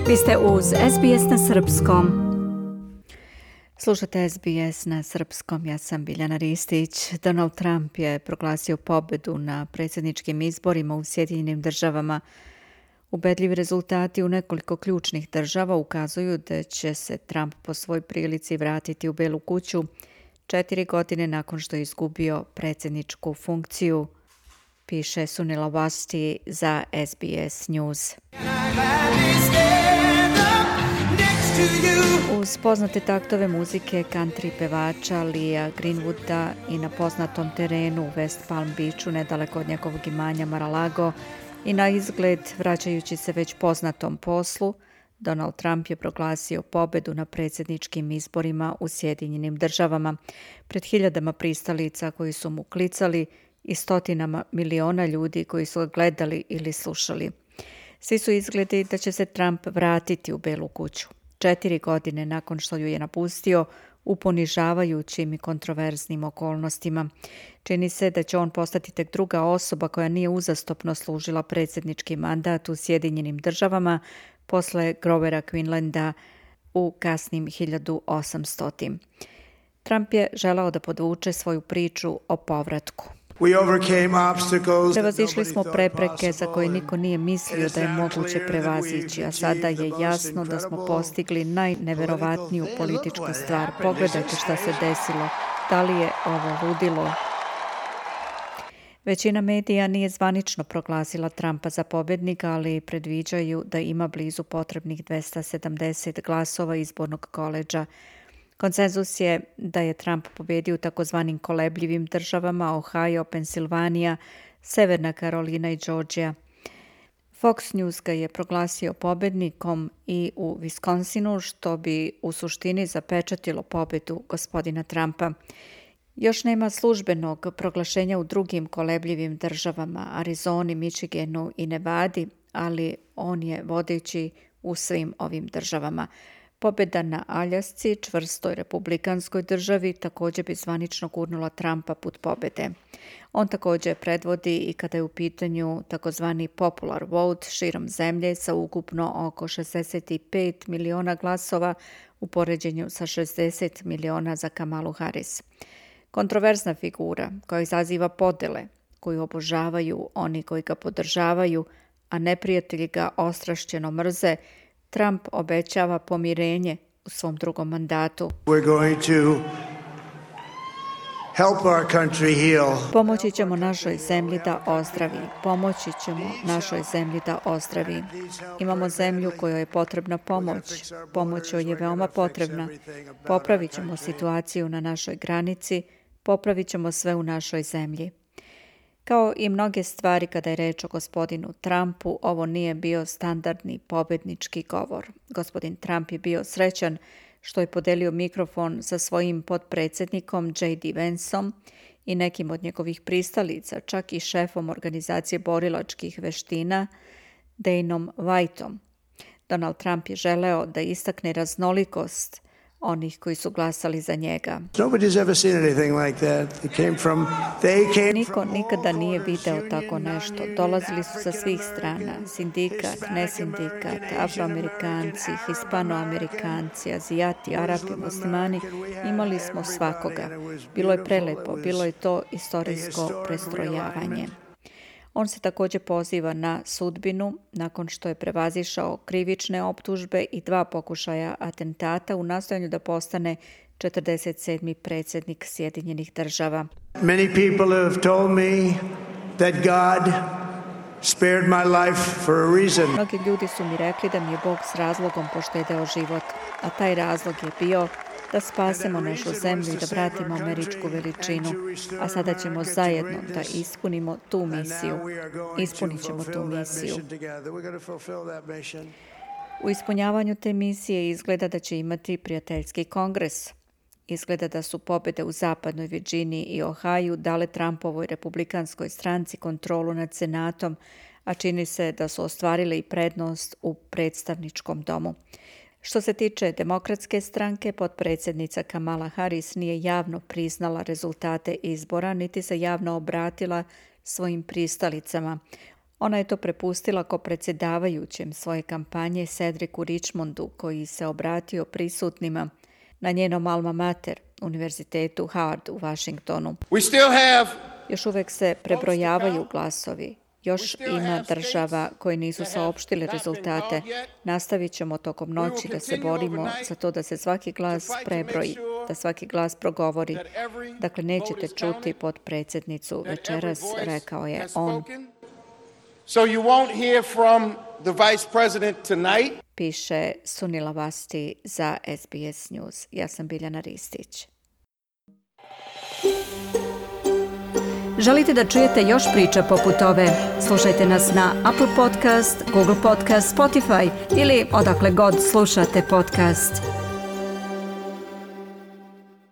Vi ste uz SBS na srpskom. Slušate SBS na srpskom, ja sam Biljana Ristić. Donald Trump je proglasio pobedu na predsjedničkim izborima u Sjedinjenim državama. Ubedljivi rezultati u nekoliko ključnih država ukazuju da će se Trump po svoj prilici vratiti u Belu kuću 4 godine nakon što je izgubio predsjedničku funkciju, piše Sunila Wasti za SBS News. Uz poznate taktove muzike country pevača Leah Greenwooda i na poznatom terenu u West Palm Beachu nedaleko od njegovog imanja Mar-a-Lago i na izgled vraćajući se već poznatom poslu, Donald Trump je proglasio pobedu na predsjedničkim izborima u Sjedinjenim državama pred hiljadama pristalica koji su mu klicali i stotinama miliona ljudi koji su ga gledali ili slušali. Svi su izgledi da će se Trump vratiti u Belu kuću 4 godine nakon što ju je napustio u ponižavajućim i kontroverznim okolnostima. Čini se da će on postati tek druga osoba koja nije uzastopno služila predsjednički mandat u Sjedinjenim državama posle Grovera Quinlanda u kasnim 1800. Trump je želeo da podvuče svoju priču o povratku. Prevazišli smo prepreke za koje niko nije mislio da je moguće prevazići, a sada je jasno da smo postigli najneverovatniju političku stvar. Pogledajte šta se desilo. Da li je ovo ludilo? Većina medija nije zvanično proglasila Trumpa za pobjednika, ali predviđaju da ima blizu potrebnih 270 glasova izbornog koledža. Konsenzus je da je Trump pobjedio u takozvanim kolebljivim državama Ohio, Pensilvanija, Severna Karolina i Georgia. Fox News ga je proglasio pobjednikom i u Wisconsinu, što bi u suštini zapečatilo pobjedu gospodina Trumpa. Još nema službenog proglašenja u drugim kolebljivim državama, Arizoni, Michiganu i Nevadi, ali on je vodeći u svim ovim državama. Pobjeda na Aljasci, čvrstoj republikanskoj državi, također bi zvanično gurnula Trumpa put pobjede. On također predvodi i kada je u pitanju takozvani popular vote širom zemlje sa ukupno oko 65 miliona glasova u poređenju sa 60 miliona za Kamalu Harris. Kontroverzna figura koja izaziva podele, koju obožavaju oni koji ga podržavaju, a neprijatelji ga ostrašćeno mrze, Trump obećava pomirenje u svom drugom mandatu. Pomoći ćemo našoj zemlji da ozdravi. Pomoći ćemo našoj zemlji da ozdravi. Imamo zemlju kojoj je potrebna pomoć. Pomoć joj je veoma potrebna. Popravit ćemo situaciju na našoj granici. Popravit ćemo sve u našoj zemlji. Kao i mnoge stvari kada je reč o gospodinu Trumpu, ovo nije bio standardni pobjednički govor. Gospodin Trump je bio srećan što je podelio mikrofon sa svojim potpredsjednikom J.D. Vanceom i nekim od njegovih pristalica, čak i šefom organizacije borilačkih veština Daneom Whiteom. Donald Trump je želeo da istakne raznolikost onih koji su glasali za njega. Niko nikada nije video tako nešto. Dolazili su sa svih strana. Sindikat, nesindikat, Afroamerikanci, Hispanoamerikanci, Azijati, Arapi, Muslimani. Imali smo svakoga. Bilo je prelepo, bilo je to istorijsko prestrojavanje. On se također poziva na sudbinu nakon što je prevazišao krivične optužbe i 2 pokušaja atentata u nastojanju da postane 47. predsjednik Sjedinjenih država. Many people have told me that God spared my life for a reason. Mnogi ljudi su mi rekli da mi je Bog s razlogom poštedeo život, a taj razlog je bio da spasemo našu zemlju i da vratimo američku veličinu, a sada ćemo zajedno da ispunimo tu misiju. Ispunit ćemo tu misiju. U ispunjavanju te misije izgleda da će imati prijateljski kongres. Izgleda da su pobjede u zapadnoj Virginiji i Ohaju dale Trumpovoj republikanskoj stranci kontrolu nad senatom, a čini se da su ostvarile i prednost u predstavničkom domu. Što se tiče demokratske stranke, potpredsjednica Kamala Harris nije javno priznala rezultate izbora, niti se javno obratila svojim pristalicama. Ona je to prepustila ko predsjedavajućem svoje kampanje Cedricu Richmondu, koji se obratio prisutnima na njenom alma mater, Univerzitetu Howard u Washingtonu. Još uvek se prebrojavaju glasovi. Još ima država koje nisu saopštile rezultate. Nastavit ćemo tokom noći da se borimo za to da se svaki glas prebroji, da svaki glas progovori. Dakle, nećete čuti potpredsjednicu večeras, rekao je on. So you won't hear from the vice president tonight. Piše Sunila Vasti za SBS News. Ja sam Biljana Ristić. Želite da čujete još priča poput ove? Slušajte nas na Apple Podcast, Google Podcast, Spotify ili odakle god slušate podcast.